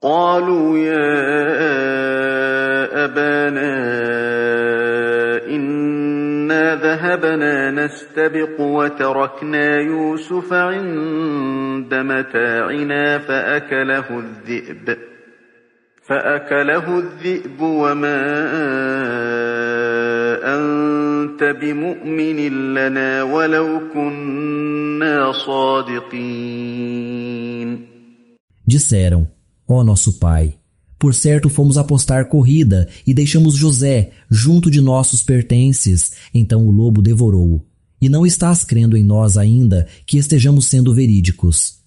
قالوا يا أبانا إنا ذهبنا نستبق وتركنا يوسف عند متاعنا فأكله الذئب وما أنت بمؤمن لنا ولو كنا صادقين. Disseram: ó nosso pai, por certo fomos apostar corrida e deixamos José junto de nossos pertences, então o lobo devorou-o. E não estás crendo em nós ainda que estejamos sendo verídicos.